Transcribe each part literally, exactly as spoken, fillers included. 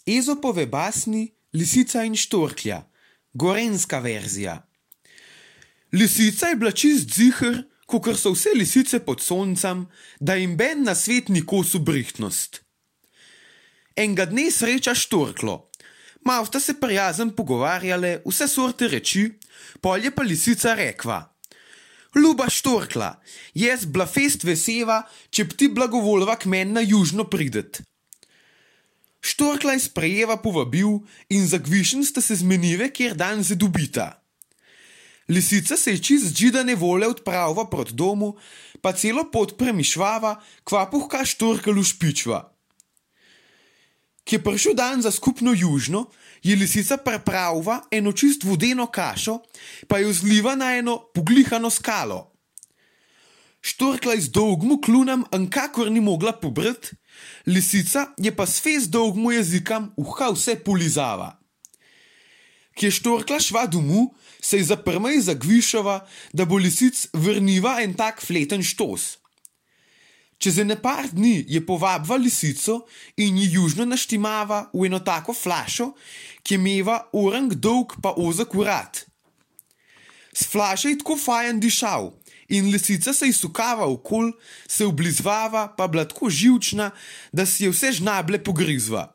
Ezopove basni Lisica in štorklja, gorenska verzija. Lisica je bila čist ziher, kakor so vse lisice pod soncem, da jim ben na svet ni kosu brihtnost. Enga dne sreča štorklo. Mal sta se prijazen pogovarjale, vse sorte reči, pol je pa lisica rekva: Ljuba štorkla, jaz bla fest veseva, če bi ti blagovolva k meni na južno pridet. Štorkla je sprejeva povabil in za gvišen sta se zmenive, kjer dan se dobita. Lisica se je čist džidane vole odpravila proti domu, pa celo pot premišljava, kva puhka štorkelu špičva. Ki je prišel dan za skupno južno, je lisica pripravila eno čist vodeno kašo, pa jo zliva na eno poglihano skalo. Štorkla je z dolgmu klunom ankakor ni mogla pobrt, lisica je pa s fez dolgmu jezikam uha vse polizava. Ki je štorkla šva domu, se je zaprmej zagvišava, da bo lisic vrniva en tak fleten štos. Čez ene par dni je povabva lisico in ji južno naštimava v eno tako flašo, ki meva orang dolg pa ozak vrat. S flaše je tako fajen dišal in lisica se ji sukava okol, se oblizvava pa bila tako živčna, da si je vse žnable pogrizva.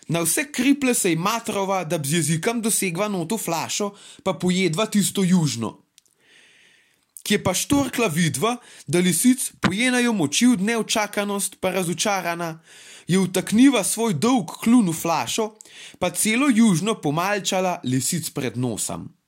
Na vse kriple se je matrova, da bi z jezikom dosegva noto flašo, pa pojedva tisto južno. Ki je pa štorkla vidva, da lisic pojenajo moči v neočakanost pa razočarana, je utakniva svoj dolg klun v flašo, pa celo južno pomalčala lisic pred nosom.